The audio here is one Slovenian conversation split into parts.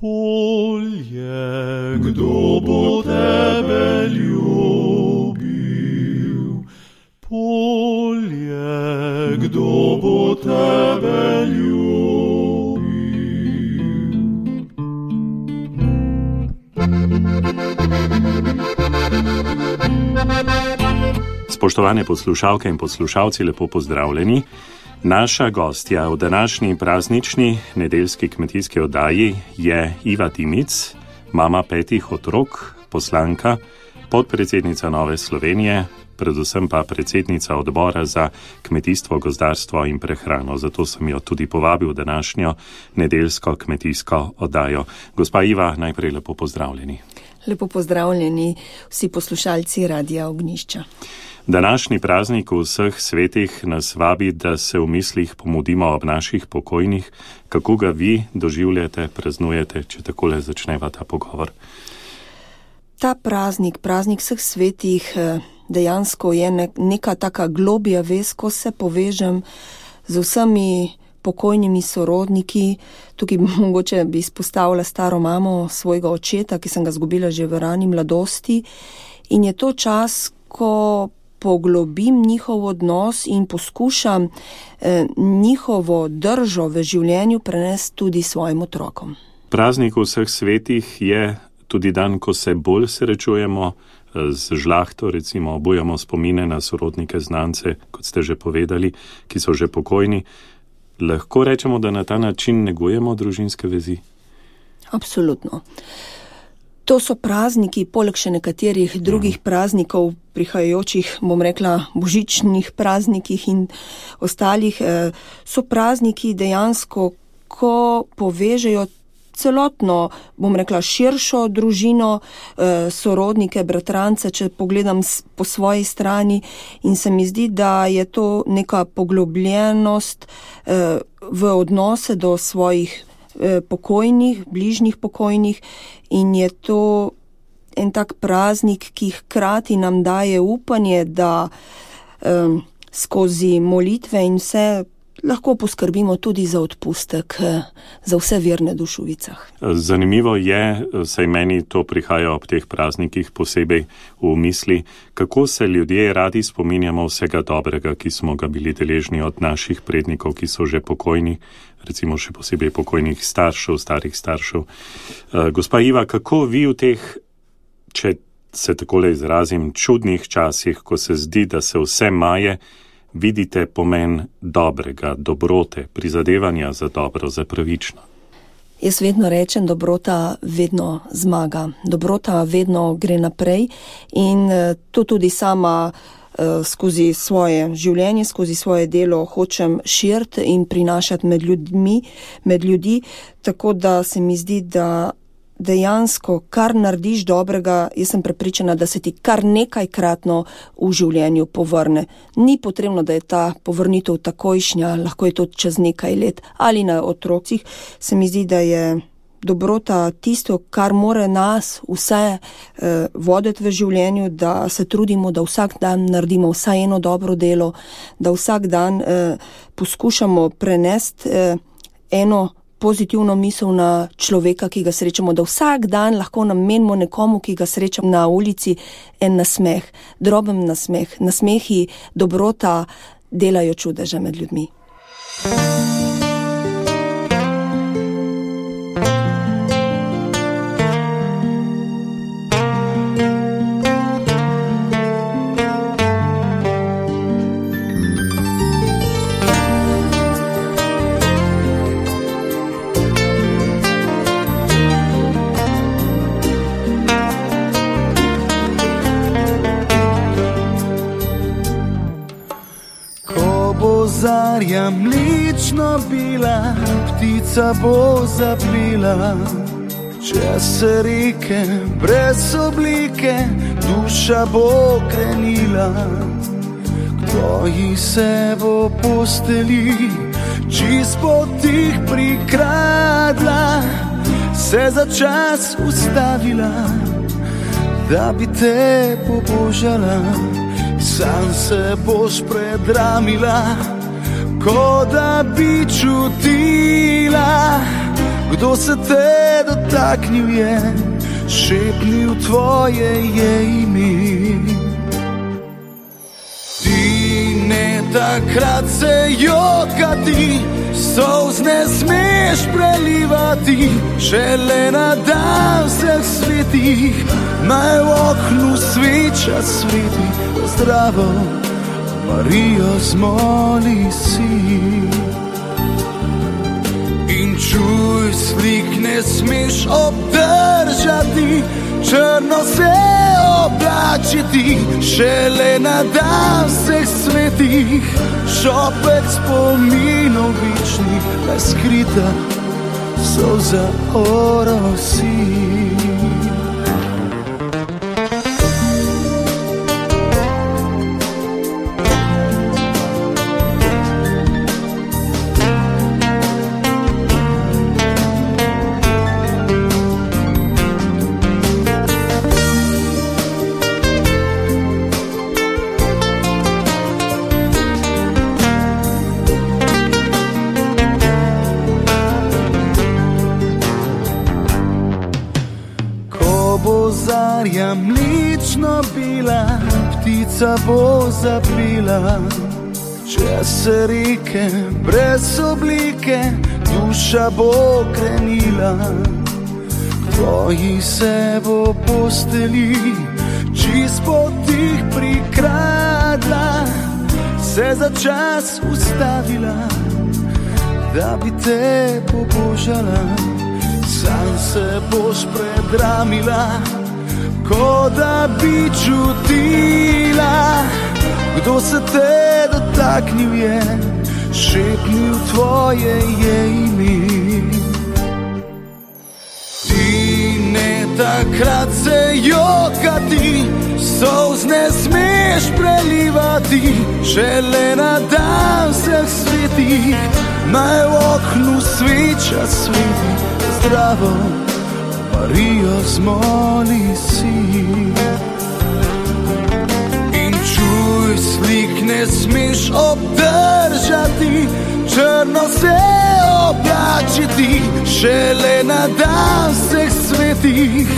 Polje, kdo bo tebe ljubil? Polje, kdo bo tebe ljubil? Spoštovane poslušalke in poslušalci, lepo pozdravljeni. Naša gostja v današnji praznični nedeljski kmetijski oddaji je Iva Dimic, mama 5 otrok, poslanka, podpredsednica Nove Slovenije, predvsem pa predsednica odbora za kmetijstvo, gozdarstvo in prehrano. Zato sem jo tudi povabil v današnjo nedeljsko kmetijsko oddajo. Gospa Iva, najprej lepo pozdravljeni. Lepo pozdravljeni vsi poslušalci Radia Ognjišča. Današnji praznik vseh svetih nas vabi, da se v mislih pomudimo ob naših pokojnih. Kako ga vi doživljate, praznujete, če takole začneva ta pogovor? Ta praznik vseh svetih, dejansko je neka taka globja vez, ko se povežem z vsemi pokojnimi sorodniki. Tukaj mogoče bi izpostavila staro mamo svojega očeta, ki sem ga izgubila že v rani mladosti. In je to čas, ko poglobim njihov odnos in poskušam njihovo držo v življenju prenesti tudi svojim otrokom. Praznik vseh svetih je tudi dan, ko se bolj srečujemo z žlahto, recimo obujamo spomine na sorodnike, znance, kot ste že povedali, ki so že pokojni. Lahko rečemo, da na ta način negujemo družinske vezi? Absolutno. To so prazniki, poleg še nekaterih drugih praznikov, prihajajočih, bom rekla, božičnih praznikih in ostalih, so prazniki dejansko, ko povežejo celotno, bom rekla, širšo družino, sorodnike, bratrance, če pogledam po svoji strani, in se mi zdi, da je to neka poglobljenost v odnose do svojih pokojnih, bližnjih pokojnih, in je to en tak praznik, ki hkrati nam daje upanje, da skozi molitve in vse lahko poskrbimo tudi za odpustek za vse verne duše v vicah. Zanimivo je, saj meni to prihaja ob teh praznikih posebej v misli, kako se ljudje radi spominjamo vsega dobrega, ki smo ga bili deležni od naših prednikov, ki so že pokojni, recimo še posebej pokojnih staršev, starih staršev. Gospa Iva, kako vi v teh, če se takole izrazim, čudnih časih, ko se zdi, da se vse maje, vidite pomen dobrega, dobrote, prizadevanja za dobro, za pravično? Jaz vedno rečem, dobrota vedno zmaga. Dobrota vedno gre naprej in to tudi sama skozi svoje življenje, skozi svoje delo hočem širiti in prinašati med ljudi, tako da se mi zdi, da dejansko, kar narediš dobrega, jaz sem prepričana, da se ti kar nekajkratno v življenju povrne. Ni potrebno, da je ta povrnitev takojšnja, lahko je to čez nekaj let ali na otrocih. Se mi zdi, da je dobrota tisto, kar mora nas vse voditi v življenju, da se trudimo, da vsak dan naredimo vsaj eno dobro delo, da vsak dan poskušamo prenesti eno pozitivno misel na človeka, ki ga srečamo, da vsak dan lahko namenimo nekomu, ki ga srečamo na ulici, en nasmeh, droben nasmeh. Nasmehi, dobrota delajo čudeže med ljudmi. Zarja mlično bila, ptica bo zapila, čez se reke brez oblike, duša bo krenila. Kdo ji se bo posteli, čist potih prikradla, se za čas ustavila, da bi te pobožala. Sam se boš predramila, ko da bi čutila Kdo se te dotaknil je, šepnil tvoje je ime. Ti ne takrat se jokati, solz ne smeš prelivati, šele na dan vseh svetih, naj v oknu sveča sveti. Zdravo, Marijo, zmoli si. In čuj, slik ne smeš obdržati, črno se oblačiti, šele na dan vseh svetih, šopek spominov večnih, naj skrita solza orosi. Zarja mlično bila, ptica bo zapila, čez se reke brez oblike, duša bo krenila. K tvoji se bo posteli, čist potih prikradla, se za čas ustavila, da bi te pobožala. Sam se boš predramila, ko da bi čutila, kdo se te dotaknil je, šepnil tvoje je ime. Ti ne takrat se jokati, solz ne smeš prelivati, šele na dan vseh svetih, naj v oknu sveča sveti. Zdravo, Marijo, zmoli si. In čuj, slik ne smeš obdržati, črno se oblačiti, šele na dan vseh svetih,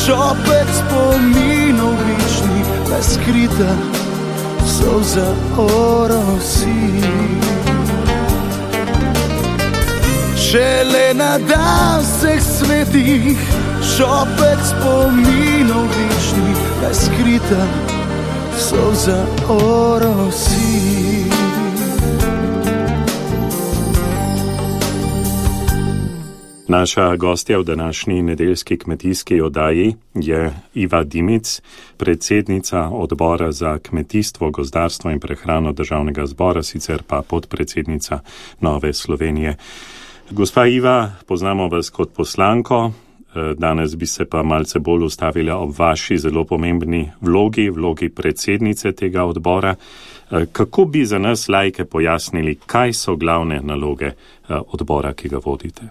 šopek spominov večnih, naj skrita solza orosi. Šele na dan vseh svetih, šopek spominov večnih, naj skrita solza orosi. Naša gostja v današnji nedeljski kmetijski oddaji je Iva Dimic, predsednica odbora za kmetijstvo, gozdarstvo in prehrano Državnega zbora, sicer pa podpredsednica Nove Slovenije. Gospa Iva, poznamo vas kot poslanko, danes bi se pa malce bolj ustavila ob vaši zelo pomembni vlogi predsednice tega odbora. Kako bi za nas laike pojasnili, kaj so glavne naloge odbora, ki ga vodite?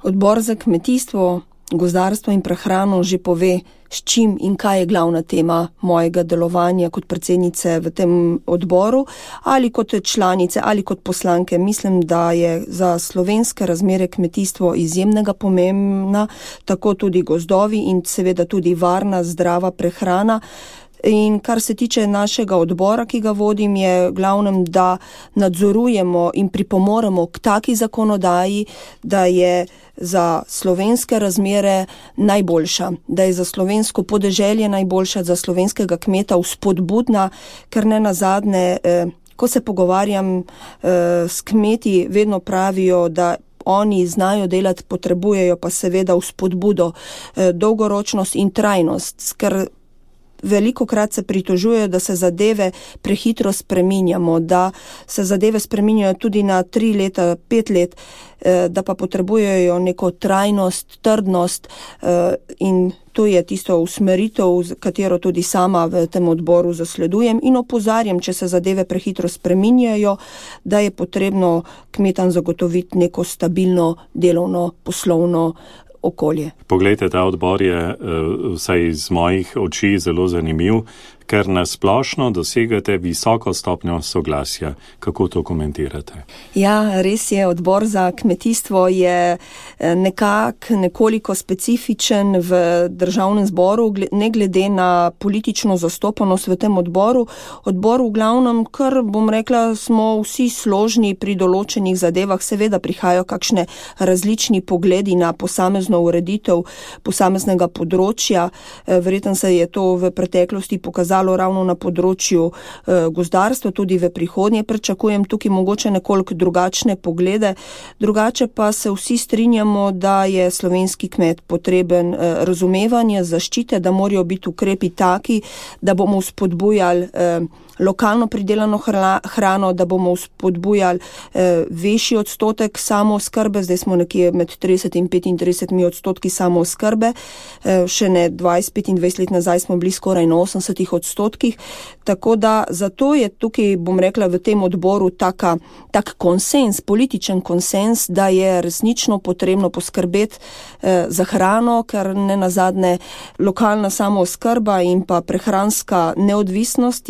Odbor za kmetijstvo, gozdarstvo in prehrano že pove, s čim in kaj je glavna tema mojega delovanja kot predsednice v tem odboru, ali kot članice, ali kot poslanke. Mislim, da je za slovenske razmere kmetijstvo izjemnega pomembna, tako tudi gozdovi in seveda tudi varna, zdrava prehrana. In kar se tiče našega odbora, ki ga vodim, je glavnem, da nadzorujemo in pripomoremo k taki zakonodaji, da je za slovenske razmere najboljša, da je za slovensko podeželje najboljša, za slovenskega kmeta vzpodbudna, ker ne nazadnje, ko se pogovarjam s kmeti, vedno pravijo, da oni znajo delati, potrebujejo pa seveda vzpodbudo, dolgoročnost in trajnost, ker velikokrat se pritožujejo, da se zadeve prehitro spreminjamo, da se zadeve spreminjajo tudi na 3 leta, 5 let, da pa potrebujejo neko trajnost, trdnost in to je tisto usmeritev, katero tudi sama v tem odboru zasledujem in opozarjam, če se zadeve prehitro spreminjajo, da je potrebno kmetam zagotoviti neko stabilno delovno, poslovno okolje. Poglejte, ta odbor je vsaj iz mojih oči zelo zanimiv, ker nasplošno dosegate visoko stopnjo soglasja. Kako to komentirate? Ja, res je, odbor za kmetijstvo je nekoliko specifičen v državnem zboru, ne glede na politično zastopanost v tem odboru. Odbor v glavnem, kar bom rekla, smo vsi složni pri določenih zadevah, seveda prihajajo kakšne različni pogledi na posamezno ureditev posameznega področja. Verjetno se je to v preteklosti pokazalo ravno na področju gozdarstva, tudi v prihodnje pričakujem tukaj mogoče nekoliko drugačne poglede. Drugače pa se vsi strinjamo, da je slovenski kmet potreben razumevanje, zaščite, da morajo biti ukrepi taki, da bomo spodbujali lokalno pridelano hrano, da bomo spodbujali večji odstotek samooskrbe, zdaj smo nekje med 30 in 35% samooskrbe, še ne 20-25 let nazaj smo bili skoraj na 80%, tako da zato je tukaj, bom rekla, v tem odboru tak konsens, političen konsens, da je resnično potrebno poskrbeti za hrano, ker ne nazadnje lokalna samooskrba in pa prehranska neodvisnost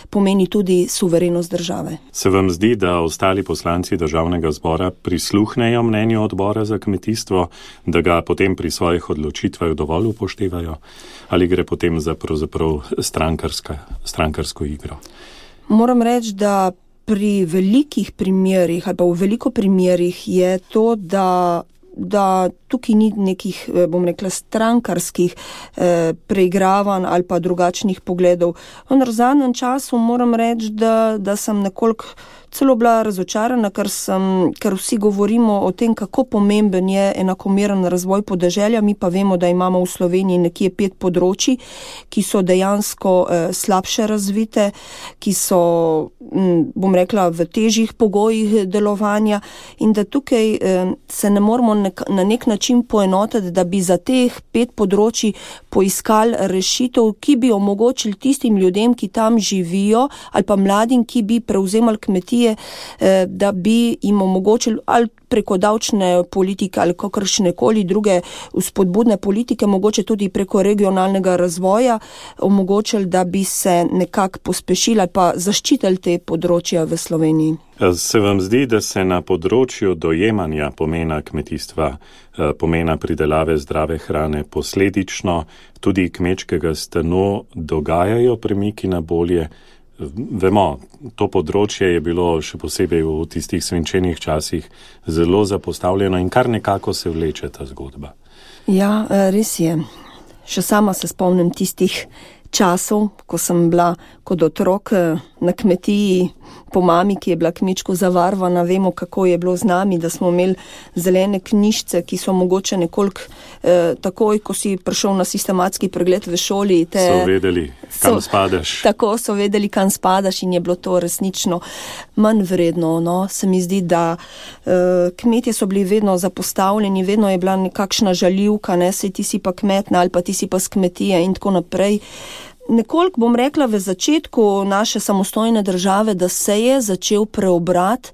pomeni tudi suverenost države. Se vam zdi, da ostali poslanci državnega zbora prisluhnejo mnenju odbora za kmetijstvo, da ga potem pri svojih odločitvah dovolj upoštevajo? Ali gre potem za pravzaprav strankarsko igro? Moram reči, da pri velikih primerih ali pa v veliko primerih je to, da tukaj ni nekih, bom rekla, strankarskih preigravanj ali pa drugačnih pogledov. V zadnjem času moram reči, da sem nekoliko celo bila razočarana, ker vsi govorimo o tem, kako pomemben je enakomeren razvoj podeželja, mi pa vemo, da imamo v Sloveniji nekje 5 področij, ki so dejansko slabše razvite, ki so, bom rekla, v težjih pogojih delovanja in da tukaj se ne moramo na nek način poenotiti, da bi za teh 5 področij poiskali rešitev, ki bi omogočili tistim ljudem, ki tam živijo, ali pa mladim, ki bi prevzemali kmetije, da bi jim omogočili ali preko davčne politike ali kakršnekoli druge vzpodbudne politike, mogoče tudi preko regionalnega razvoja, omogočili, da bi se nekako pospešili ali pa zaščitili te področja v Sloveniji. Se vam zdi, da se na področju dojemanja pomena kmetijstva, pomena pridelave zdrave hrane, posledično tudi kmečkega stanu dogajajo premiki na bolje? Vemo, to področje je bilo še posebej v tistih svinčenih časih zelo zapostavljeno in kar nekako se vleče ta zgodba. Ja, res je. Še sama se spomnim tistih časov, ko sem bila kot otrok na kmetiji po mami, ki je bila kmečko zavarvana. Vemo, kako je bilo z nami, da smo imeli zelene knjižice, ki so mogoče nekoliko takoj, ko si prišel na sistematski pregled v šoli. So vedeli, kam spadaš. Tako so vedeli, kam spadaš in je bilo to resnično manj vredno. No? Se mi zdi, da kmetje so bili vedno zapostavljeni, vedno je bila nekakšna žaljivka, ne, sej ti si pa kmetna ali pa ti si pa s kmetije in tako naprej. Nekoliko bom rekla v začetku naše samostojne države, da se je začel preobrat,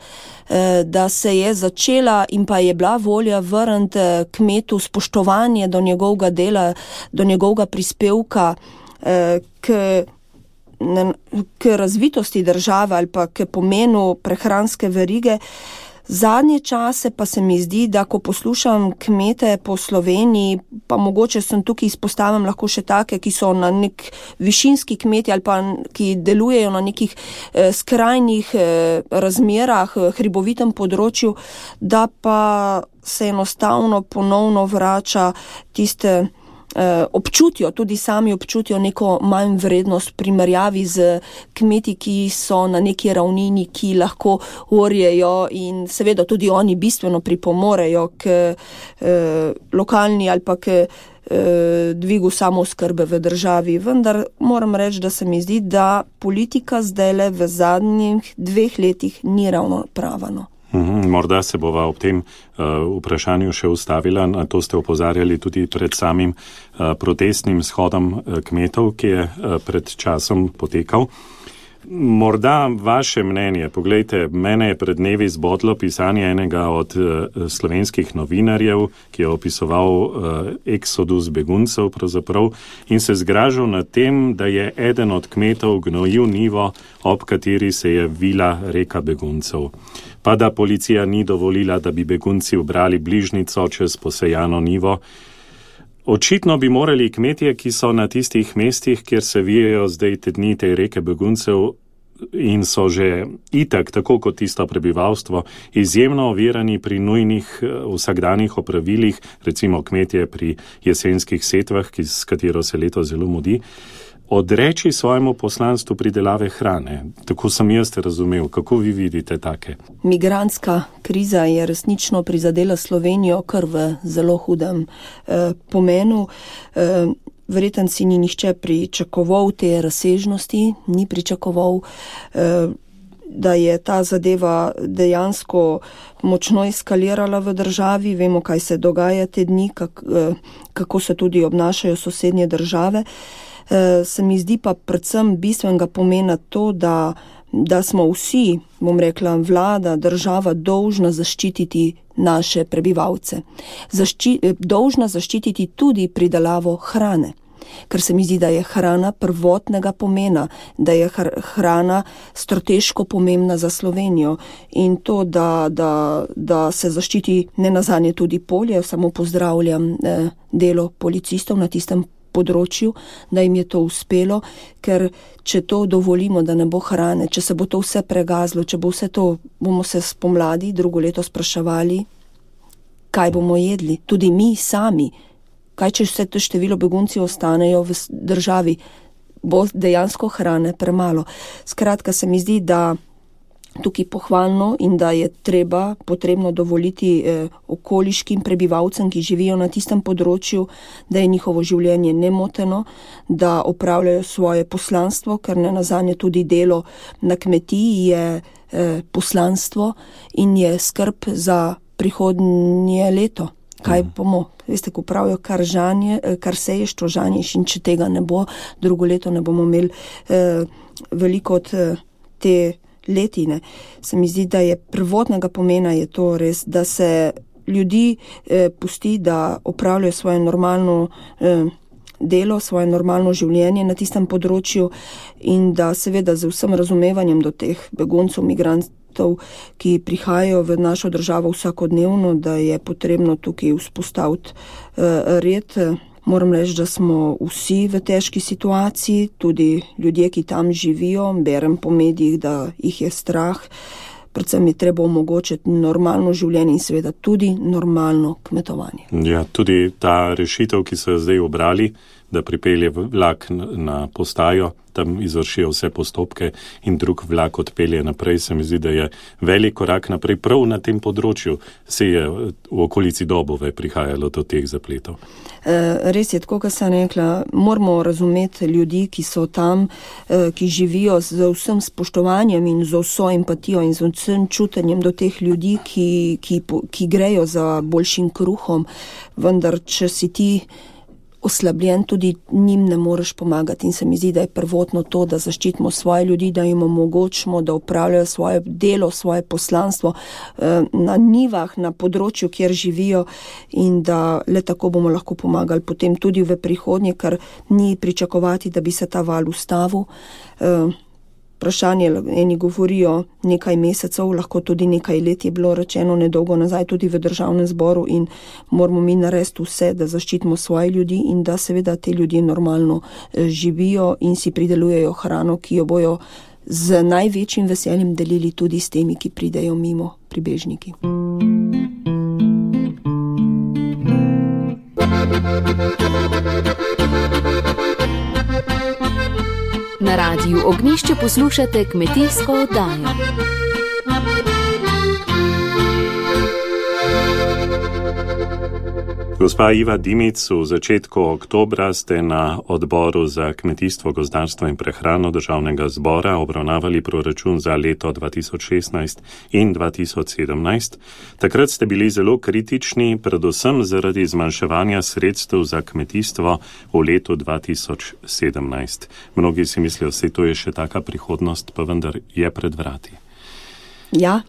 da se je začela in pa je bila volja vrniti kmetu spoštovanje do njegovega dela, do njegovega prispevka k razvitosti države ali pa k pomenu prehranske verige. Zadnje čase pa se mi zdi, da ko poslušam kmete po Sloveniji, pa mogoče sem tukaj izpostavim lahko še take, ki so na nek višinski kmeti ali pa ki delujejo na nekih skrajnih razmerah, hribovitem področju, da pa se enostavno ponovno vrača tiste občutijo, tudi sami občutijo neko manj vrednost v primerjavi z kmeti, ki so na neki ravnini, ki lahko orjejo in seveda tudi oni bistveno pripomorejo k lokalni ali pa k dvigu samooskrbe v državi. Vendar moram reči, da se mi zdi, da politika zdajle v zadnjih 2 letih ni ravno prava. Morda se bova ob tem vprašanju še ustavila, na to ste opozarjali tudi pred samim protestnim shodom kmetov, ki je pred časom potekal. Morda vaše mnenje. Poglejte, mene je pred dnevi zbodlo pisanje enega od slovenskih novinarjev, ki je opisoval eksodus beguncev pravzaprav in se zgražal nad tem, da je eden od kmetov gnojil njivo, ob kateri se je vila reka beguncev. Pa da policija ni dovolila, da bi begunci ubrali bližnico čez posejano njivo. Očitno bi morali kmetje, ki so na tistih mestih, kjer se vijejo zdaj te dni te reke beguncev in so že itak, tako kot tisto prebivalstvo, izjemno ovirani pri nujnih vsakdanjih opravilih, recimo kmetje pri jesenskih setvah, s katero se leto zelo mudi, odreči svojemu poslanstvu pridelave hrane. Tako sem jaz razumel. Kako vi vidite take? Migrantska kriza je resnično prizadela Slovenijo kar v zelo hudem pomenu. Verjetno si ni nihče pričakoval te razsežnosti, ni pričakoval, da je ta zadeva dejansko močno eskalirala v državi. Vemo, kaj se dogaja te dni, kako se tudi obnašajo sosednje države. Se mi zdi pa predvsem bistvenega pomena to, da smo vsi, bom rekla, vlada, država dolžna zaščititi naše prebivalce. Dolžna zaščititi tudi pridelavo hrane, ker se mi zdi, da je hrana prvotnega pomena, da je hrana strateško pomembna za Slovenijo in to, da se zaščiti nenazadnje tudi polje. Samo pozdravljam delo policistov na tistem področju, da jim je to uspelo, ker če to dovolimo, da ne bo hrane, če se bo to vse pregazlo, če bo vse to, bomo se spomladi drugo leto spraševali, kaj bomo jedli, tudi mi sami, kaj če vse to število begunci ostanejo v državi, bo dejansko hrane premalo. Skratka, se mi zdi, da tukaj pohvalno in da je potrebno dovoliti okoliškim prebivalcem, ki živijo na tistem področju, da je njihovo življenje nemoteno, da opravljajo svoje poslanstvo, ker nenazadnje tudi delo na kmetiji je poslanstvo in je skrb za prihodnje leto. Kaj bomo? Veste, ko pravijo, kar seješ, to žanješ, in če tega ne bo, drugo leto ne bomo imeli veliko od te letine. Se mi zdi, da je prvotnega pomena je to res, da se ljudi pusti, da opravljajo svoje normalno delo, svoje normalno življenje na tistem področju in da seveda z vsem razumevanjem do teh beguncev, migrantov, ki prihajajo v našo državo vsakodnevno, da je potrebno tukaj vzpostaviti red. Moram reči, da smo vsi v težki situaciji, tudi ljudje, ki tam živijo, berem po medijih, da jih je strah. Predvsem je treba omogočiti normalno življenje in seveda tudi normalno kmetovanje. Ja, tudi ta rešitev, ki so jo zdaj obrali, da pripelje vlak na postajo, tam izvršijo vse postopke in drug vlak odpelje naprej, se mi zdi, da je velik korak naprej prav na tem področju. Se je v okolici Dobove prihajalo do teh zapletov. Res je, tako kot sem rekla, moramo razumeti ljudi, ki so tam, ki živijo z vsem spoštovanjem in z vso empatijo in z vsem čutenjem do teh ljudi, ki grejo za boljšim kruhom, vendar če si ti oslabljen, tudi njim ne moreš pomagati in se mi zdi, da je prvotno to, da zaščitimo svoje ljudi, da jim omogočimo, da upravljajo svoje delo, svoje poslanstvo na njivah, na področju, kjer živijo in da le tako bomo lahko pomagali potem tudi v prihodnje, ker ni pričakovati, da bi se ta val ustavil. Vprašanje, eni govorijo nekaj mesecev, lahko tudi nekaj let, je bilo rečeno nedolgo nazaj tudi v Državnem zboru in moramo mi narediti vse, da zaščitimo svoje ljudi in da seveda te ljudje normalno živijo in si pridelujejo hrano, ki jo bojo z največjim veseljem delili tudi s temi, ki pridejo mimo, pribežniki. Na Radiu Ognjišče poslušate kmetijsko oddajo. Gospa Iva Dimic, v začetku oktobra ste na odboru za kmetijstvo, gozdarstvo in prehrano Državnega zbora obravnavali proračun za leto 2016 in 2017. Takrat ste bili zelo kritični, predvsem zaradi zmanjševanja sredstev za kmetijstvo v letu 2017. Mnogi si mislijo, da to je še taka prihodnost, pa vendar je pred vrati. Ja.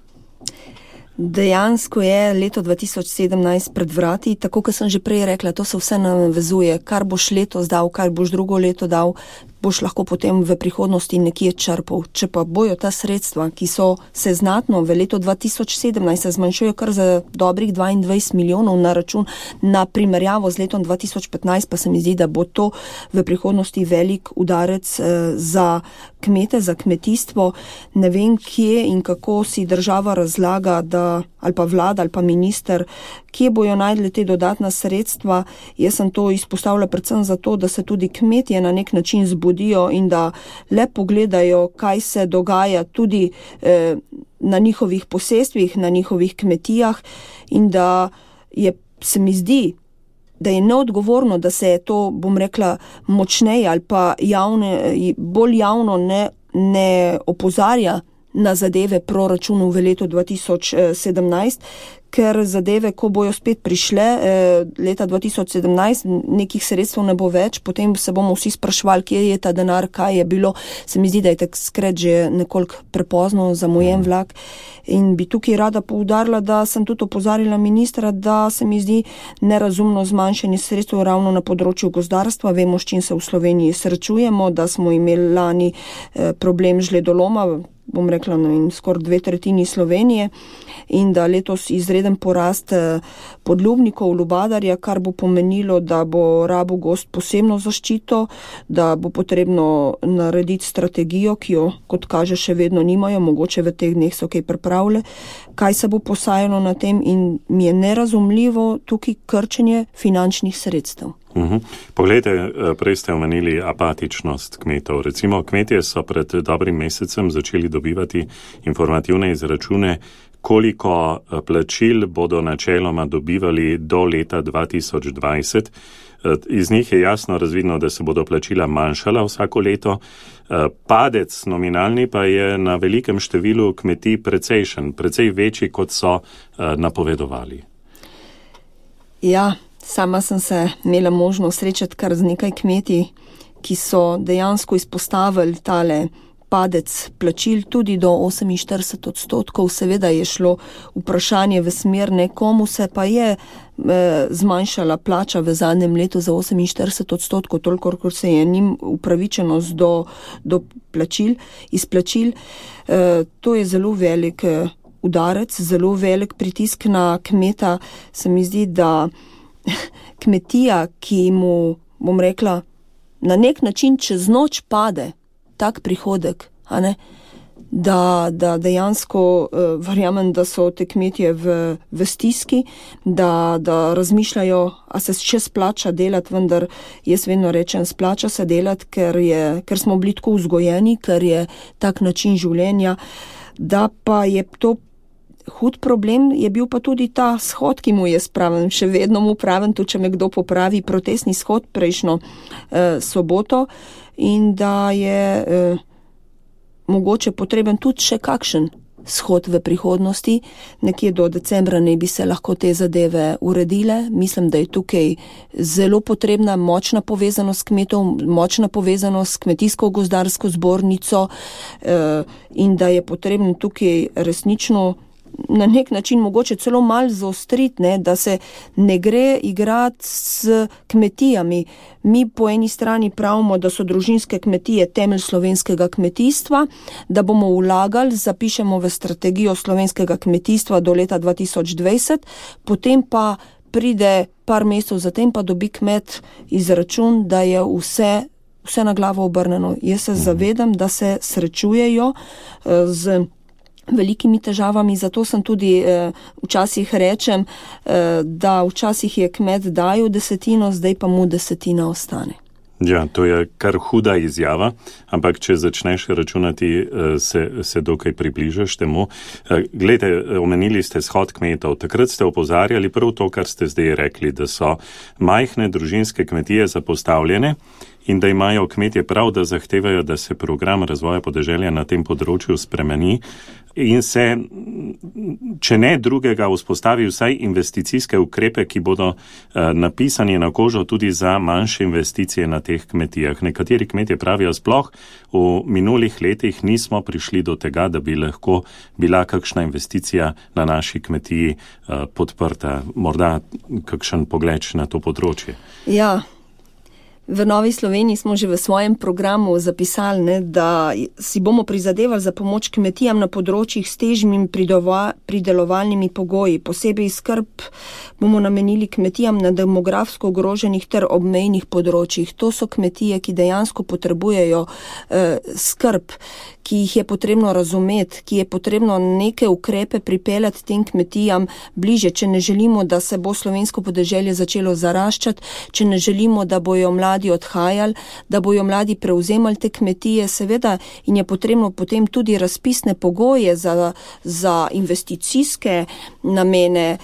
Dejansko je leto 2017 pred vrati, tako kot sem že prej rekla, to se vse navezuje, kar boš letos dal, kar boš drugo leto dal, boš lahko potem v prihodnosti nekje črpal. Če pa bojo ta sredstva, ki so se znatno v letu 2017 zmanjšujejo kar za dobrih 22 milijonov na račun, na primerjavo z letom 2015, pa se mi zdi, da bo to v prihodnosti velik udarec za kmete, za kmetijstvo. Ne vem, kje in kako si država razlaga, da, ali pa vlada, ali pa minister, kje bojo najdli te dodatna sredstva. Jaz sem to izpostavila predvsem zato, da se tudi kmetje na nek način zbudijo in da le pogledajo, kaj se dogaja tudi na njihovih posestvih, na njihovih kmetijah in da se mi zdi, da je neodgovorno, da se to, bom rekla, močneje ali pa bolj javno ne opozarja na zadeve proračunov v letu 2017, ker zadeve, ko bojo spet prišle, leta 2017 nekih sredstev ne bo več, potem se bomo vsi sprašvali, kje je ta denar, kaj je bilo. Se mi zdi, da je takrat že nekoliko prepozno, zamujen vlak. In bi tukaj rada poudarila, da sem tudi opozarjala ministra, da se mi zdi nerazumno zmanjšanje sredstev ravno na področju gozdarstva. Vemo, s čim se v Sloveniji srečujemo, da smo imeli lani problem žledoloma, bom rekla, skoraj 2/3 Slovenije in da letos izreden porast podlubnikov lubadarja, kar bo pomenilo, da bo rabil gozd posebno zaščito, da bo potrebno narediti strategijo, ki jo, kot kaže, še vedno nimajo, mogoče v teh dneh so kaj pripravile, kaj se bo posajalo na tem in mi je nerazumljivo tukaj krčenje finančnih sredstev. Poglejte, prej ste omenili apatičnost kmetov. Recimo, kmetje so pred dobrim mesecem začeli dobivati informativne izračune, koliko plačil bodo načeloma dobivali do leta 2020. Iz njih je jasno razvidno, da se bodo plačila manjšala vsako leto. Padec nominalni pa je na velikem številu kmetij precejšen, precej večji, kot so napovedovali. Ja, sama sem se imela možnost srečati kar z nekaj kmetij, ki so dejansko izpostavili tale padec plačil tudi do 48%. Seveda je šlo vprašanje v smer, komu se pa je zmanjšala plača v zadnjem letu za 48%, toliko, kot se je njim upravičenost do plačil, izplačil. To je zelo velik udarec, zelo velik pritisk na kmeta. Se mi zdi, da kmetija, ki mu, bom rekla, na nek način čez noč pade tak prihodek, da dejansko verjamem, da so te kmetje v stiski, da razmišljajo, a se še splača delati, vendar jaz vedno rečem, splača se delati, ker smo bili tako vzgojeni, ker je tak način življenja, da pa je to hud problem, je bil pa tudi ta shod, ki mu je spravljen, še vedno mu pravim, tudi če me kdo popravi, protestni shod prejšnjo soboto in da je mogoče potreben tudi še kakšen shod v prihodnosti. Nekje do decembra ne bi se lahko te zadeve uredile. Mislim, da je tukaj zelo potrebna močna povezanost kmetov, močna povezanost s kmetijsko-gozdarsko zbornico in da je potrebno tukaj resnično na nek način mogoče celo malo zaostriti, da se ne gre igrati s kmetijami. Mi po eni strani pravimo, da so družinske kmetije temelj slovenskega kmetijstva, da bomo vlagali, zapišemo v strategijo slovenskega kmetijstva do leta 2020, potem pa pride par mesecev zatem, pa dobi kmet izračun, da je vse na glavo obrnjeno. Jaz se zavedam, da se srečujejo z velikimi težavami, zato sem tudi včasih rečem, da včasih je kmet dajal desetino, zdaj pa mu desetina ostane. Ja, to je kar huda izjava, ampak če začneš računati, se dokaj približaš temu. Glejte, omenili ste shod kmetov. Takrat ste opozarjali prav to, kar ste zdaj rekli, da so majhne družinske kmetije zapostavljene in da imajo kmetje prav, da zahtevajo, da se program razvoja podeželja na tem področju spremeni in se, če ne drugega, vzpostavi vsaj investicijske ukrepe, ki bodo napisani na kožo tudi za manjše investicije na teh kmetijah. Nekateri kmetje pravijo, sploh v minulih letih nismo prišli do tega, da bi lahko bila kakšna investicija na naši kmetiji podprta. Morda kakšen pogled na to področje. Ja. V Novi Sloveniji smo že v svojem programu zapisali, da si bomo prizadevali za pomoč kmetijam na področjih s težjimi pridelovalnimi pogoji. Posebej skrb bomo namenili kmetijam na demografsko ogroženih ter obmejnih področjih. To so kmetije, ki dejansko potrebujejo skrb, ki jih je potrebno razumeti, ki je potrebno neke ukrepe pripeljati tem kmetijam bliže, če ne želimo, da se bo slovensko podeželje začelo zaraščati, če ne želimo, da bojo mladi odhajali, da bojo mladi prevzemali te kmetije, seveda, in je potrebno potem tudi razpisne pogoje za investicijske namene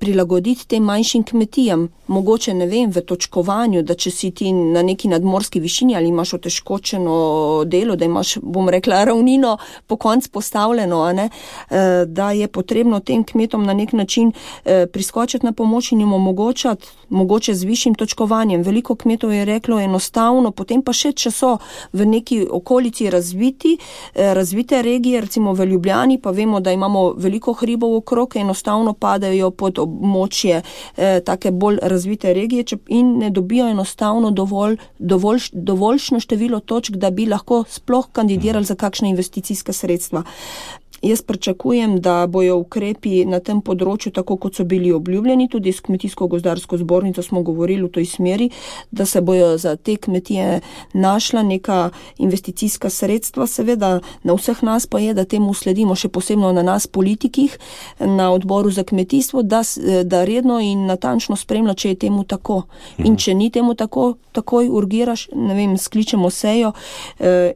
prilagoditi tem manjšim kmetijam. Mogoče, ne vem, v točkovanju, da če si ti na neki nadmorski višini ali imaš otežkočeno delo, da imaš, bom rekla, ravnino po konc postavljeno, da je potrebno tem kmetom na nek način priskočiti na pomoč in jim omogočati, mogoče z višjim točkovanjem. Veliko kmetov je reklo enostavno, potem pa še, če so v neki okolici razvite regije, recimo v Ljubljani, pa vemo, da imamo veliko hribov okrog, enostavno padajo pod območje take bolj razvite regije in ne dobijo enostavno dovoljšno število točk, da bi lahko sploh kandidirali za kakšne investicijska sredstva. Jaz pričakujem, da bojo ukrepi na tem področju, tako kot so bili obljubljeni, tudi s Kmetijsko-gozdarsko zbornico smo govorili v toj smeri, da se bojo za te kmetije našla neka investicijska sredstva. Seveda na vseh nas pa je, da temu sledimo, še posebno na nas politikih, na odboru za kmetijstvo, da redno in natančno spremlja, če je temu tako. In če ni temu tako, takoj urgiraš, ne vem, skličemo sejo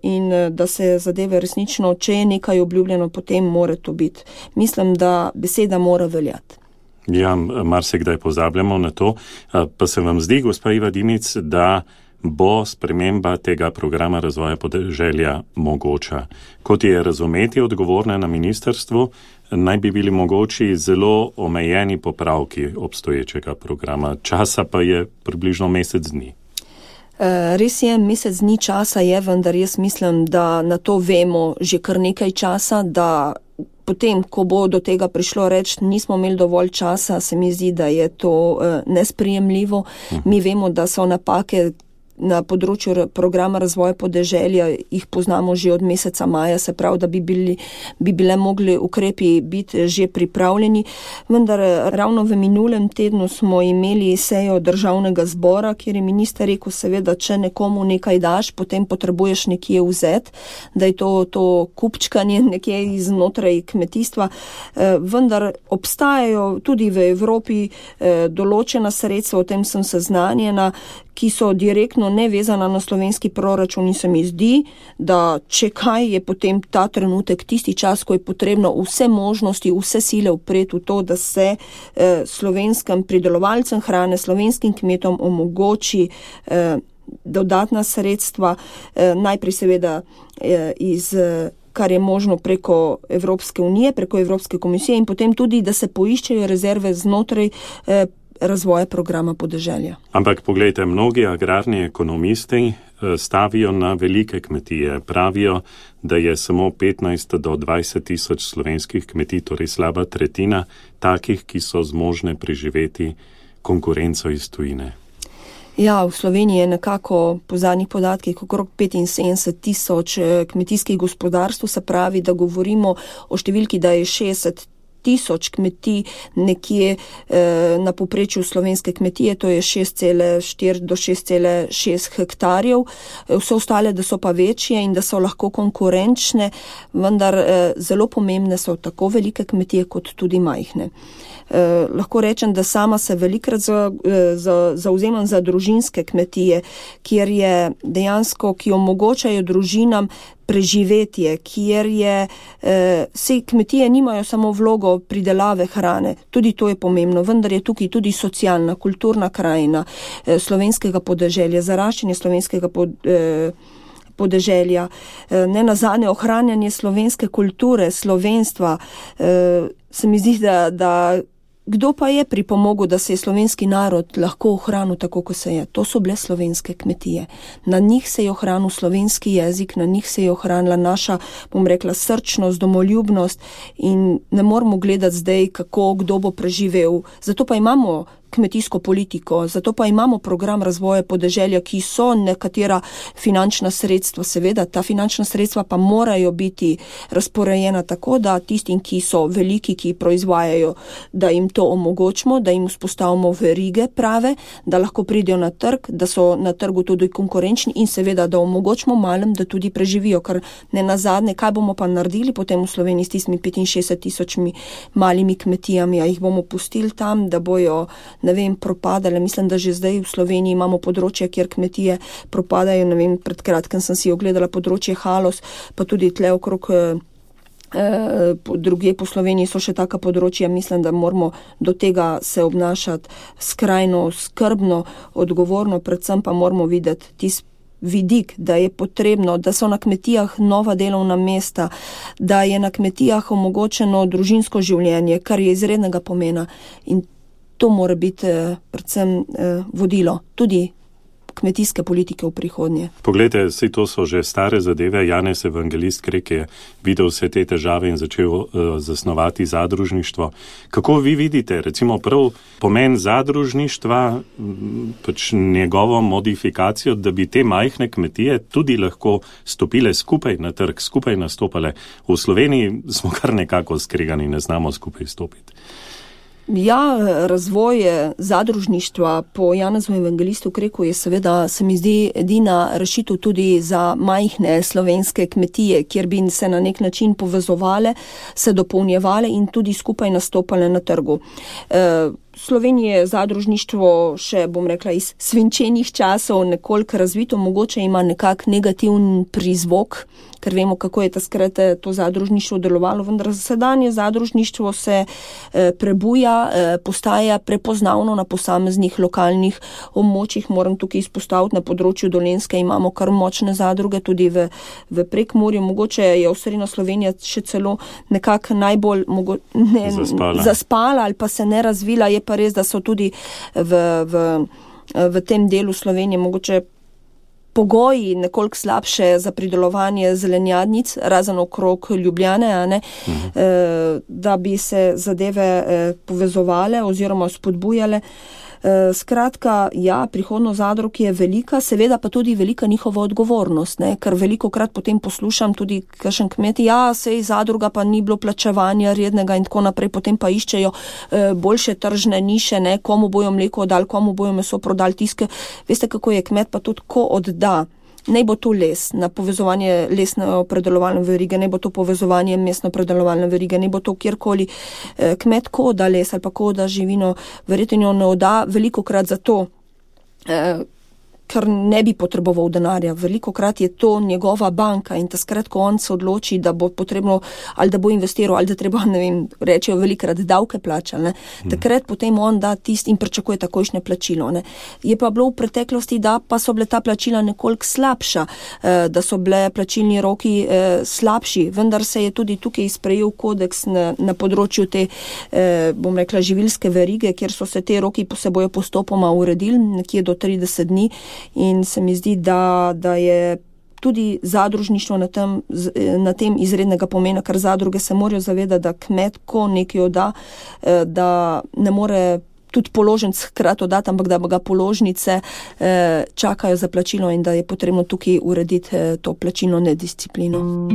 in da se zadeve resnično, če je nekaj obljubljeno, potem mora to biti. Mislim, da beseda mora veljati. Ja, marsikdaj pozabljamo na to. Pa se vam zdi, gospa Iva Dimic, da bo sprememba tega programa razvoja podeželja mogoča? Kot je razumeti odgovorne na ministrstvu, naj bi bili mogoči zelo omejeni popravki obstoječega programa. Časa pa je približno mesec dni. Res je, mesec dni časa je, vendar jaz mislim, da na to vemo že kar nekaj časa, da potem, ko bo do tega prišlo reči, nismo imeli dovolj časa, se mi zdi, da je to nesprejemljivo. Mi vemo, da so napake na področju programa razvoja podeželja, jih poznamo že od meseca maja, se pravi, da bi bile mogli ukrepi biti že pripravljeni, vendar ravno v minulem tednu smo imeli sejo državnega zbora, kjer je minister rekel, seveda, če nekomu nekaj daš, potem potrebuješ nekje vzeti, da je to kupčkanje nekje iznotraj kmetijstva, vendar obstajajo tudi v Evropi določena sredstva, o tem sem seznanjena, ki so direktno nevezana na slovenski proračun in se mi zdi, da če kaj je potem ta trenutek tisti čas, ko je potrebno vse možnosti, vse sile upreti v to, da se slovenskim pridelovalcem hrane, slovenskim kmetom omogoči dodatna sredstva, najprej seveda kar je možno preko Evropske unije, preko Evropske komisije in potem tudi, da se poiščejo rezerve znotraj razvoja programa podeželja. Ampak poglejte, mnogi agrarni ekonomisti stavijo na velike kmetije. Pravijo, da je samo 15 do 20 tisoč slovenskih kmetij, torej slaba tretjina, takih, ki so zmožne preživeti konkurenco iz tujine. Ja, v Sloveniji je nekako po zadnjih podatkih okrog 75 tisoč kmetijskih gospodarstv, se pravi, da govorimo o številki, da je 60 tisoč kmetij nekje na povprečju slovenske kmetije, to je 6,4 do 6,6 hektarjev. Vse ostale, da so pa večje in da so lahko konkurenčne, vendar zelo pomembne so tako velike kmetije kot tudi majhne. Lahko rečem, da sama se velikrat zauzemam za družinske kmetije, kjer je dejansko, ki omogočajo družinam preživetje, kjer je, vse kmetije nimajo samo vlogo pridelave hrane, tudi to je pomembno, vendar je tukaj tudi socialna, kulturna krajina slovenskega podeželja, zaraščanje slovenskega podeželja, ne nazadnje ohranjanje slovenske kulture, slovenstva. Se mi zdi, da kdo pa je pripomogel, da se je slovenski narod lahko ohranil tako, kot se je? To so bile slovenske kmetije. Na njih se je ohranil slovenski jezik, na njih se je ohranila naša, bom rekla, srčnost, domoljubnost in ne moramo gledati zdaj, kako kdo bo preživel. Zato pa imamo kmetijsko politiko, zato pa imamo program razvoja podeželja, ki so nekatera finančna sredstva. Seveda, ta finančna sredstva pa morajo biti razporejena tako, da tistim, ki so veliki, ki proizvajajo, da jim to omogočimo, da jim vzpostavimo verige prave, da lahko pridejo na trg, da so na trgu tudi konkurenčni in seveda, da omogočimo malem, da tudi preživijo, ker ne nazadnje, kaj bomo pa naredili potem v Sloveniji s tistimi 65 tisočmi malimi kmetijami, a jih bomo pustili tam, da bojo propadale. Mislim, da že zdaj v Sloveniji imamo področje, kjer kmetije propadajo. Pred kratkem sem si ogledala področje Haloz, pa tudi tle okrog drugje po Sloveniji so še taka področja. Mislim, da moramo do tega se obnašati skrajno, skrbno, odgovorno, predvsem pa moramo videti tisti vidik, da je potrebno, da so na kmetijah nova delovna mesta, da je na kmetijah omogočeno družinsko življenje, kar je izrednega pomena in to mora biti predvsem vodilo tudi kmetijske politike v prihodnje. Poglejte, vse to so že stare zadeve. Janez Evangelist Krek je videl vse te težave in začel zasnovati zadružništvo. Kako vi vidite, recimo prav pomen zadružništva, pač njegovo modifikacijo, da bi te majhne kmetije tudi lahko stopile skupaj na trg, skupaj nastopale? V Sloveniji smo kar nekako skregani, ne znamo skupaj stopiti. Ja, razvoj zadružništva po Janezu Evangelistu Kreku je seveda, se mi zdi, edina rešitev tudi za majhne slovenske kmetije, kjer bi se na nek način povezovale, se dopolnjevale in tudi skupaj nastopale na trgu. Slovenije je zadružništvo še, bom rekla, iz svinčenih časov nekoliko razvito, mogoče ima nekak negativen prizvok, ker vemo, kako je takrat to zadružništvo delovalo, vendar sedanje zadružništvo se prebuja, postaja prepoznavno na posameznih lokalnih območjih. Moram tukaj izpostaviti, na področju Dolenjske imamo kar močne zadruge, tudi v Prekmurju. Mogoče je osrednja Slovenija še celo nekako najbolj zaspala ali pa se ne razvila. Je pa res, da so tudi v tem delu Slovenije mogoče pogoji nekoliko slabše za pridelovanje zelenjadnic, razen okrog Ljubljane, da bi se zadeve povezovale oziroma spodbujale. Skratka, ja, prihodnost zadrug je velika, seveda pa tudi velika njihova odgovornost, ker velikokrat potem poslušam tudi kakšen kmet, sej zadruga pa ni bilo plačevanja rednega in tako naprej, potem pa iščejo boljše tržne niše, komu bojo mleko dali, komu bojo meso prodali, tiske. Veste, kako je kmet pa tudi ko odda. Naj bo to les na povezovanje lesno-predelovalne verige, naj bo to povezovanje mesno-predelovalne verige, naj bo to kjerkoli. Kmet ko da les ali pa ko da živino, verjetno ne odda velikokrat zato, ker ne bi potreboval denarja. Velikokrat je to njegova banka in takrat, ko on se odloči, da bo potrebno ali da bo investiral ali da treba, rečejo velikrat davke plačali, takrat potem on da tisti in pričakuje takojšnje plačilo. Je pa bilo v preteklosti, da pa so bile ta plačila nekoliko slabša, da so bile plačilni roki slabši, vendar se je tudi tukaj sprejel kodeks na področju te, bom rekla, živilske verige, kjer so se te roki se bojo postopoma uredili, nekje do 30 dni. In se mi zdi, da je tudi zadružništvo na tem izrednega pomena, ker zadruge se morajo zavedati, da kmet, ko nekaj odda, da ne more tudi položnic hkrati oddati, ampak da ga položnice čakajo za plačilo in da je potrebno tukaj urediti to plačilno nedisciplino.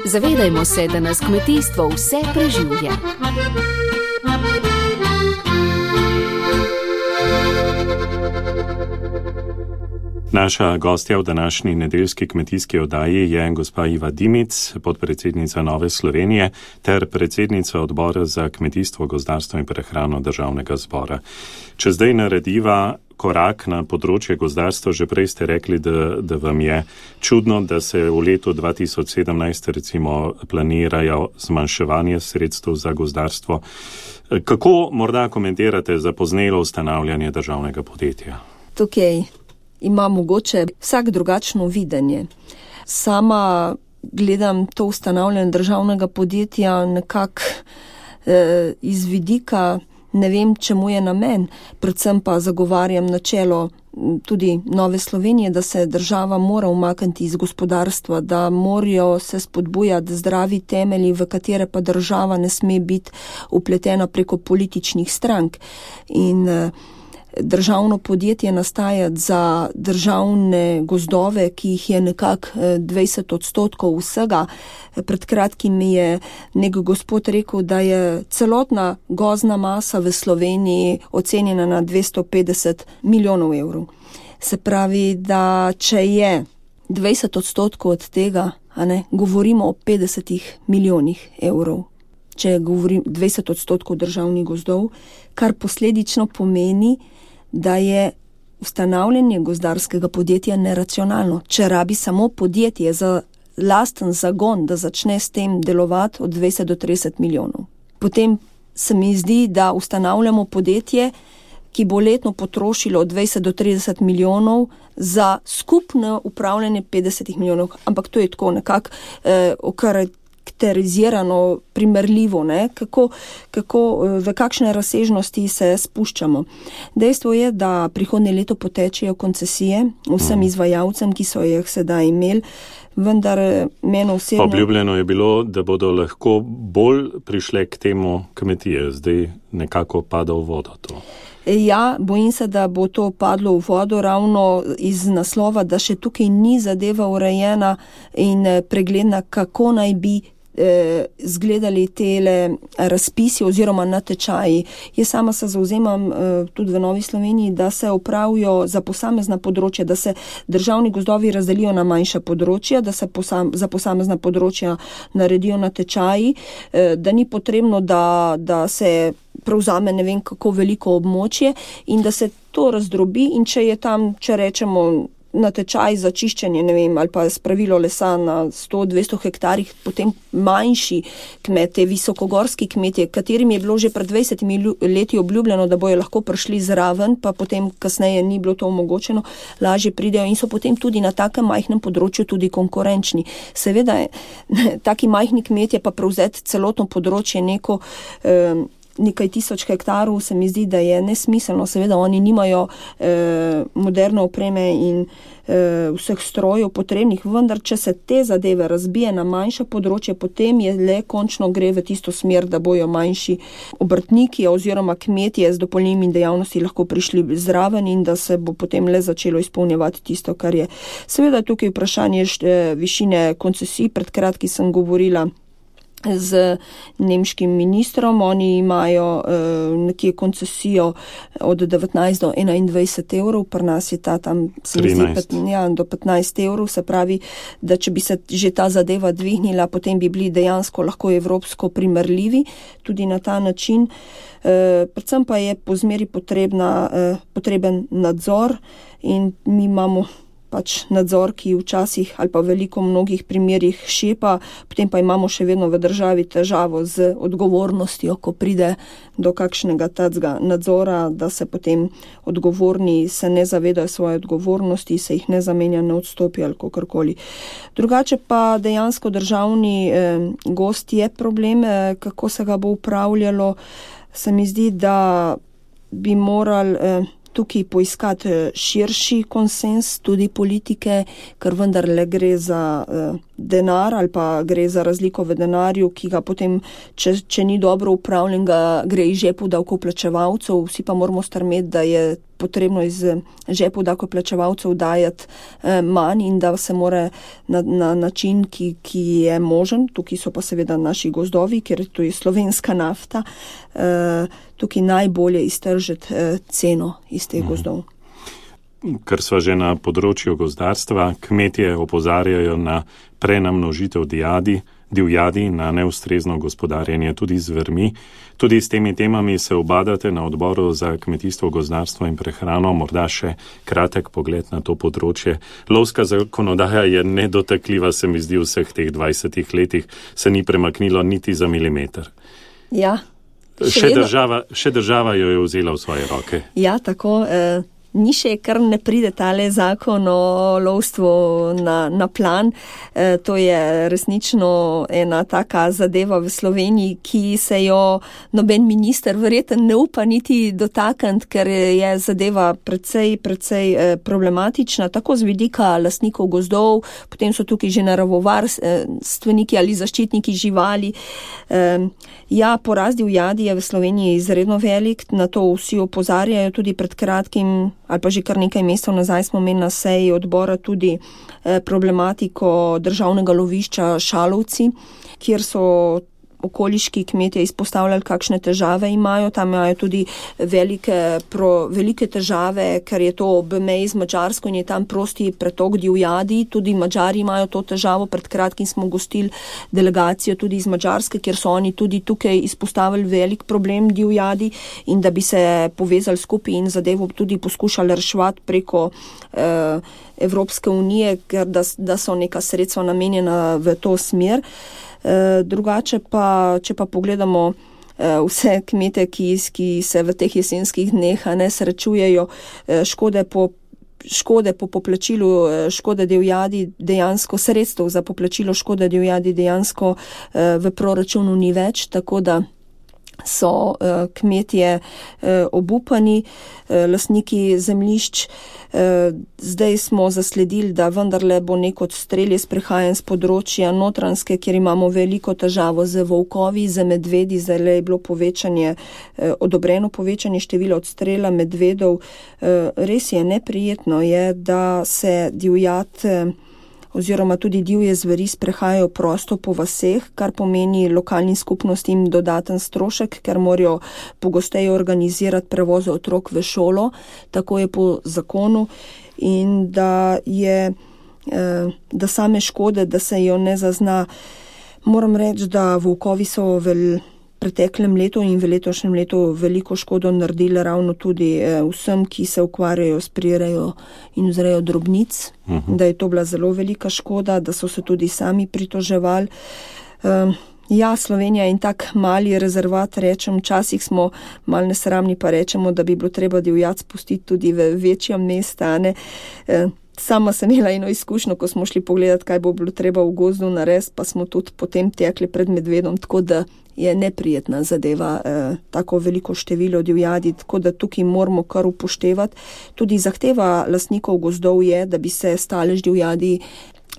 Zavedajmo se, da nas kmetijstvo vse preživlja. Naša gostja v današnji nedeljski kmetijski oddaji je gospa Iva Dimic, podpredsednica Nove Slovenije ter predsednica odbora za kmetijstvo, gozdarstvo in prehrano Državnega zbora. Če zdaj narediva korak na področje gozdarstva, že prej ste rekli, da vam je čudno, da se v letu 2017 recimo planirajo zmanjševanje sredstev za gozdarstvo. Kako morda komentirate zapoznelo ustanavljanje državnega podjetja? Tukaj ima mogoče vsak drugačno videnje. Sama gledam to ustanavljanje državnega podjetja nekako iz vidika, ne vem, čemu je namen, predvsem pa zagovarjam načelo tudi Nove Slovenije, da se država mora umakniti iz gospodarstva, da morajo se spodbujati zdravi temelji, v katere pa država ne sme biti upletena preko političnih strank. In državno podjetje nastajati za državne gozdove, ki jih je nekako 20% vsega. Pred kratkim mi je nek gospod rekel, da je celotna gozdna masa v Sloveniji ocenjena na 250 milijonov evrov. Se pravi, da če je 20% od tega, govorimo o 50 milijonih evrov. Če govorim 20% državnih gozdov, kar posledično pomeni, da je ustanavljanje gozdarskega podjetja neracionalno. Če rabi samo podjetje za lasten zagon, da začne s tem delovati od 20 do 30 milijonov. Potem se mi zdi, da ustanavljamo podjetje, ki bo letno potrošilo od 20 do 30 milijonov za skupno upravljanje 50 milijonov. Ampak to je tako nekako okarakterizirano, primerljivo, v kakšne razsežnosti se spuščamo. Dejstvo je, da prihodnje leto potečejo koncesije vsem izvajalcem, ki so jih sedaj imeli, vendar meni osebno... Obljubljeno je bilo, da bodo lahko bolj prišle k temu kmetije, zdaj nekako pada v vodo to. Ja, bojim se, da bo to padlo v vodo ravno iz naslova, da še tukaj ni zadeva urejena in pregledna, kako naj bi zgledali tele razpisi oziroma natečaji. Jaz sama se zauzemam tudi v Novi Sloveniji, da se opravijo za posamezna področja, da se državni gozdovi razdelijo na manjša področja, da se za posamezna področja naredijo natečaji, da ni potrebno, da se prevzame ne vem kako veliko območje in da se to razdrobi, in če je tam, če rečemo, natečaj za čiščenje, ne vem, ali pa spravilo lesa na 100-200 hektarjih, potem manjši kmete, visokogorski kmetje, katerim je bilo že pred 20 leti obljubljeno, da bojo lahko prišli zraven, pa potem kasneje ni bilo to omogočeno, lažje pridejo in so potem tudi na takem majhnem področju tudi konkurenčni. Seveda, taki majhni kmetje pa prevzeti celotno področje nekaj tisoč hektarov, se mi zdi, da je nesmiselno. Seveda oni nimajo moderne opreme in vseh strojev potrebnih, vendar če se te zadeve razbije na manjša področja, potem je le končno gre v tisto smer, da bojo manjši obrtniki oziroma kmetje z dopolnilnimi dejavnosti lahko prišli zraven in da se bo potem le začelo izpolnjevati tisto, kar je. Seveda tukaj vprašanje višine koncesij. Pred kratkim sem govorila z nemškim ministrom, oni imajo nekje koncesijo od 19 do 21 evrov, pri nas je ta tam 13 do 15 evrov, se pravi, da če bi se že ta zadeva dvignila, potem bi bili dejansko lahko evropsko primerljivi tudi na ta način. Predvsem pa je po zmeri potreben nadzor in mi imamo pač nadzor, ki včasih ali pa veliko mnogih primerih šepa, potem pa imamo še vedno v državi težavo z odgovornostjo, ko pride do kakšnega tacga nadzora, da se potem odgovorni se ne zavedajo svoje odgovornosti, se jih ne zamenja, ne odstopi ali kakorkoli. Drugače pa dejansko državni gozd je problem, kako se ga bo upravljalo. Se mi zdi, da bi morali tukaj poiskati širši konsens tudi politike, ker vendarle gre za denar ali pa gre za razliko v denarju, ki ga potem, če ni dobro upravljen, ga gre iz žepu davkoplačevalcev, vsi pa moramo strmeti, da je potrebno iz žepov davkoplačevalcev dajati manj in da se mora na način, ki je možen, tukaj so pa seveda naši gozdovi, ker to je slovenska nafta, tukaj najbolje iztržiti ceno iz teh gozdov. Ker sva že na področju gozdarstva, kmetje opozarjajo na prenamnožitev divjadi, na neustrezno gospodarjenje tudi z zvermi. Tudi s temi temami se ubadate na odboru za kmetijstvo, gozdarstvo in prehrano. Morda še kratek pogled na to področje. Lovska zakonodaja je nedotakljiva, se mi zdi, v vseh teh 20 letih se ni premaknilo niti za milimeter. Ja. Še država jo je vzela v svoje roke. Ja, tako. Ni še, kar ne pride tale zakon o lovstvu na plan. To je resnično ena taka zadeva v Sloveniji, ki se jo noben minister verjetno ne upa niti dotakniti, ker je zadeva precej problematična, tako z vidika lastnikov gozdov, potem so tukaj že naravovarstveniki ali zaščitniki živali. Ja, porast divjadi je v Sloveniji izredno velik, na to vsi opozarjajo, tudi pred kratkim ali pa že kar nekaj mesecev nazaj smo imeli na seji odbora tudi problematiko državnega lovišča Šalovci, kjer so okoliški kmetje izpostavljali, kakšne težave imajo. Tam imajo tudi velike težave, ker je to ob meji z Madžarsko in je tam prosti pretok divjadi. Tudi Madžari imajo to težavo. Pred kratkim smo gostili delegacijo tudi iz Madžarske, kjer so oni tudi tukaj izpostavili velik problem divjadi in da bi se povezali skupaj in zadevo tudi poskušali reševati preko Evropske unije, ker da so neka sredstva namenjena v to smer. Drugače pa, če pa pogledamo vse kmete, ki se v teh jesenskih dneh ne srečujejo škode po poplačilu škode divjadi, dejansko sredstev za poplačilo škode divjadi dejansko v proračunu ni več, tako da so kmetje obupani, lastniki zemljišč. Zdaj smo zasledili, da vendarle bo nek odstrel iz prehajanj z področja Notranjske, kjer imamo veliko težavo z volkovi, z medvedi. Zdaj je bilo odobreno povečanje števila odstrela medvedov. Res je neprijetno je, da se divjad oziroma tudi divje zveri sprehajajo prosto po vaseh, kar pomeni lokalnim skupnostim dodaten strošek, ker morajo pogosteje organizirati prevoze otrok v šolo, tako je po zakonu, in da same škode, da se jo ne zazna. Moram reči, da volkovi so v preteklem letu in v letošnjem letu veliko škodo naredili ravno tudi vsem, ki se ukvarjajo s prirejo in vzrejo drobnic, da je to bila zelo velika škoda, da so se tudi sami pritoževali. Ja, Slovenija in tak mali rezervat, rečem, včasih smo malo nesramni, pa rečemo, da bi bilo treba divjad spustiti tudi v večja mesta, ne. Sama sem imela eno izkušnjo, ko smo šli pogledati, kaj bo bilo treba v gozdu narediti, pa smo tudi potem tekli pred medvedom, tako da je neprijetna zadeva tako veliko število divjadi, tako da tukaj moramo kar upoštevati. Tudi zahteva lastnikov gozdov je, da bi se stalež divjadi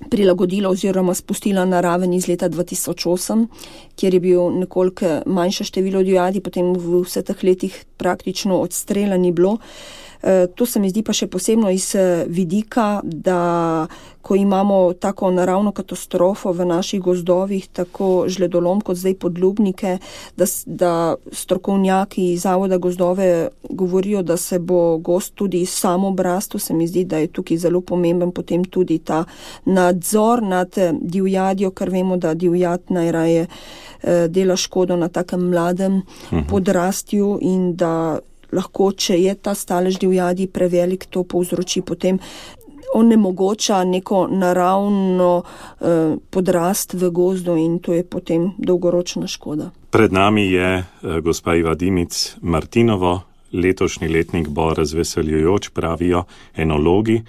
prilagodila oziroma spustila na raven iz leta 2008, kjer je bil nekoliko manjše število divjadi, potem v vseh teh letih praktično odstrela ni bilo. To se mi zdi pa še posebno iz vidika, da ko imamo tako naravno katastrofo v naših gozdovih, tako žledolom kot zdaj podlubnike, da strokovnjaki iz Zavoda gozdove govorijo, da se bo gozd tudi sam obrastel. Se mi zdi, da je tukaj zelo pomemben potem tudi ta nadzor nad divjadjo, ker vemo, da divjad najraje dela škodo na takem mladem podrastju in da lahko, če je ta stalež divjadi prevelik, to povzroči potem onemogoča neko naravno podrast v gozdu in to je potem dolgoročna škoda. Pred nami je gospa Iva Dimic Martinovo. Letošnji letnik bo razveseljujoč, pravijo enologi.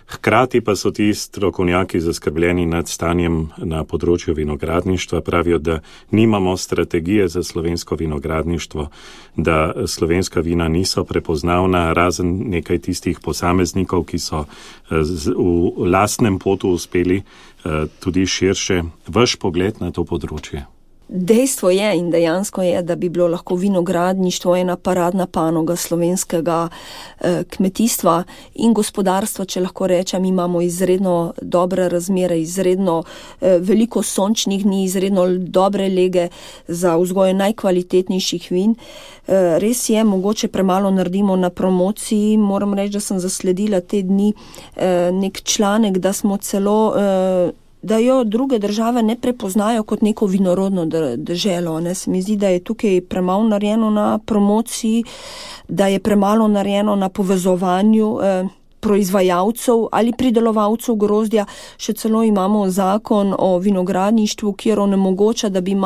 Hkrati pa so ti strokovnjaki zaskrbljeni nad stanjem na področju vinogradništva. Pravijo, da nimamo strategije za slovensko vinogradništvo, da slovenska vina niso prepoznavna, razen nekaj tistih posameznikov, ki so v lastnem potu uspeli tudi širše. Vaš pogled na to področje? Dejstvo je in dejansko je, da bi bilo lahko vinogradništvo ena paradna panoga slovenskega kmetijstva in gospodarstva, če lahko rečem. Imamo izredno dobre razmere, izredno veliko sončnih dni, izredno dobre lege za vzgoje najkvalitetnejših vin. Res je, mogoče premalo naredimo na promociji. Moram reči, da sem zasledila te dni nek članek, da smo celo da jo druge države ne prepoznajo kot neko vinorodno deželo. Se mi zdi, da je tukaj premalo narejeno na promociji, da je premalo narejeno na povezovanju proizvajalcev ali pridelovalcev grozdja. Še celo imamo zakon o vinogradništvu, kjer onemogoča, da bi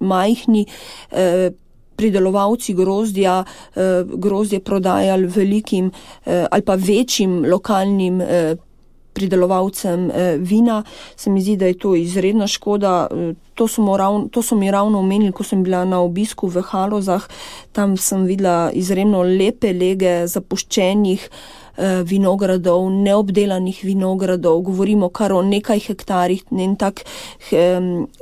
majhni pridelovalci grozdje prodajali velikim ali pa večjim lokalnim pridelovalcem vina. Se mi zdi, da je to izredna škoda. To so mi ravno omenili, ko sem bila na obisku v Halozah. Tam sem videla izredno lepe lege zapuščenih vinogradov, neobdelanih vinogradov. Govorimo kar o nekaj hektarih. En tak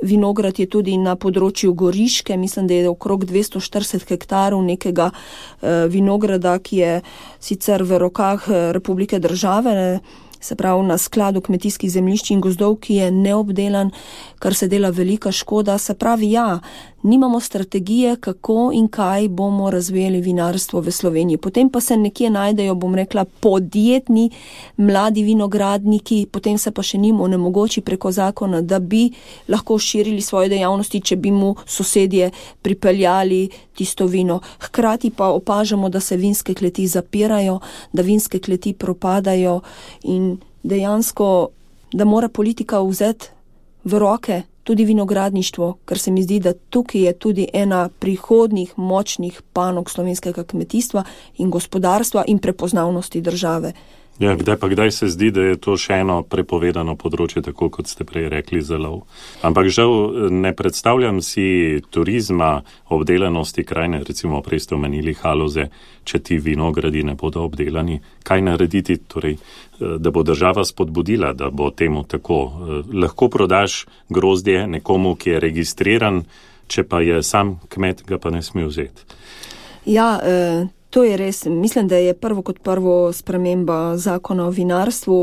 vinograd je tudi na področju Goriške. Mislim, da je okrog 240 hektarov nekega vinograda, ki je sicer v rokah Republike države, se pravi na skladu kmetijskih zemljišč in gozdov, ki je neobdelan, kar se dela velika škoda. Se pravi, nimamo strategije, kako in kaj bomo razvijali vinarstvo v Sloveniji. Potem pa se nekje najdejo, bom rekla, podjetni mladi vinogradniki, potem se pa še njim onemogoči preko zakona, da bi lahko širili svoje dejavnosti, če bi mu sosedje pripeljali tisto vino. Hkrati pa opažamo, da se vinske kleti zapirajo, da vinske kleti propadajo in dejansko, da mora politika vzeti v roke tudi vinogradništvo, ker se mi zdi, da tukaj je tudi ena prihodnjih močnih panog slovenskega kmetijstva in gospodarstva in prepoznavnosti države. Ja, kdaj se zdi, da je to še eno prepovedano področje, tako kot ste prej rekli, za lov. Ampak žal ne predstavljam si turizma, obdelanosti krajine, recimo prej ste omenili Haloze, če ti vinogradi ne bodo obdelani. Kaj narediti, torej, da bo država spodbudila, da bo temu tako? Lahko prodaš grozdje nekomu, ki je registriran, če pa je sam kmet, ga pa ne sme vzeti. Ja, to je res. Mislim, da je prvo kot prvo sprememba zakona o vinarstvu.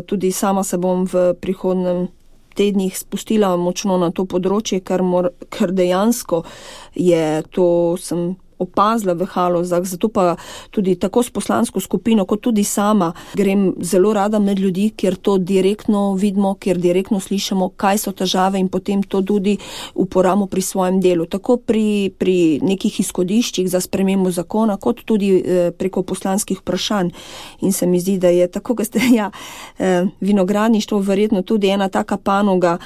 Tudi sama se bom v prihodnem tednih spustila močno na to področje, ker dejansko je to, sem opazila v Halozah, zato pa tudi tako s poslansko skupino, kot tudi sama grem zelo rada med ljudi, kjer to direktno vidimo, kjer direktno slišimo, kaj so težave in potem to tudi uporabimo pri svojem delu. Tako pri nekih izhodiščih za spremembo zakona, kot tudi preko poslanskih vprašanj. In se mi zdi, da je tako, da ste vinogradništvo verjetno tudi ena taka panoga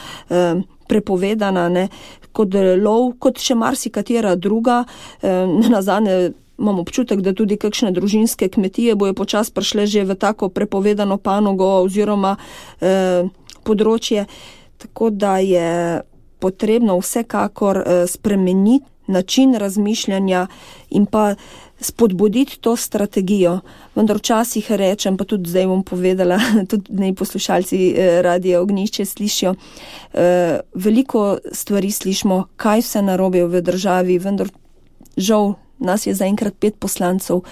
prepovedana, kot lov, kot še marsikatera druga. Nazadnje imam občutek, da tudi kakšne družinske kmetije bojo počasi prišle že v tako prepovedano panogo oziroma področje. Tako da je potrebno vsekakor spremeniti način razmišljanja in pa spodbuditi to strategijo. Vendar včasih rečem, pa tudi zdaj bom povedala, tudi naj poslušalci Radia Ognjišče slišijo, veliko stvari slišimo, kaj vse narobe v državi, vendar žal nas je zaenkrat 5 poslancev,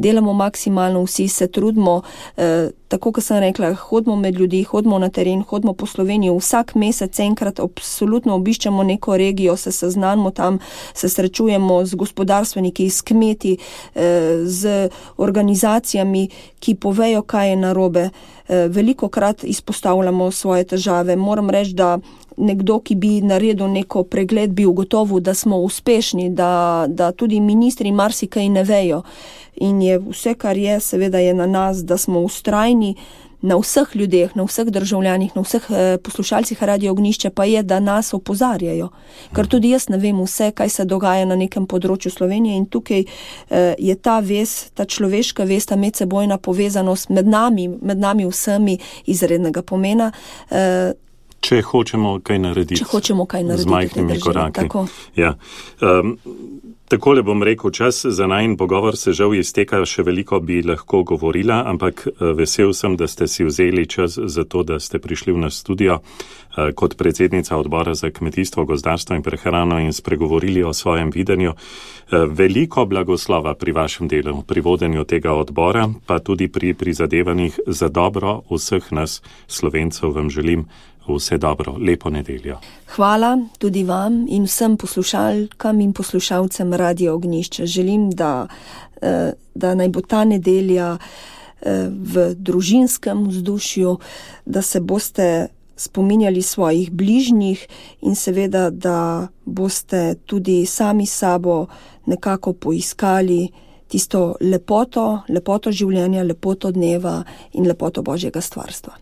delamo maksimalno, vsi se trudimo, tako kot sem rekla, hodimo med ljudi, hodimo na teren, hodimo po Sloveniji, vsak mesec enkrat absolutno obiščemo neko regijo, se seznanimo tam, se srečujemo z gospodarstveniki, s kmeti, z organizacijami, ki povejo, kaj je narobe. Velikokrat izpostavljamo svoje težave. Moram reči, da nekdo, ki bi naredil neko pregled, bi ugotovil, da smo uspešni, da tudi ministri marsikaj ne vejo. In je vse, kar je, seveda je na nas, da smo vztrajni na vseh ljudeh, na vseh državljanih, na vseh poslušalcih Radia Ognjišče, pa je, da nas opozarjajo. Ker tudi jaz ne vem vse, kaj se dogaja na nekem področju Slovenije in tukaj je ta vez, ta človeška vez, ta medsebojna povezanost med nami vsemi izrednega pomena. Če hočemo kaj narediti. Z majhnimi koraki. Ja. Takole bom rekel, čas za najin pogovor se žal izteka, še veliko bi lahko govorila, ampak vesel sem, da ste si vzeli čas za to, da ste prišli v naš studio kot predsednica odbora za kmetijstvo, gozdarstvo in prehrano in spregovorili o svojem videnju. Veliko blagoslova pri vašem delu, pri vodenju tega odbora, pa tudi pri prizadevanjih za dobro vseh nas Slovencev vam želim. Vse dobro, lepo nedeljo. Hvala tudi vam in vsem poslušalkam in poslušalcem Radio Ognjišče. Želim, da naj bo ta nedelja v družinskem vzdušju, da se boste spominjali svojih bližnjih in seveda, da boste tudi sami sabo nekako poiskali tisto lepoto življenja, lepoto dneva in lepoto Božjega stvarstva.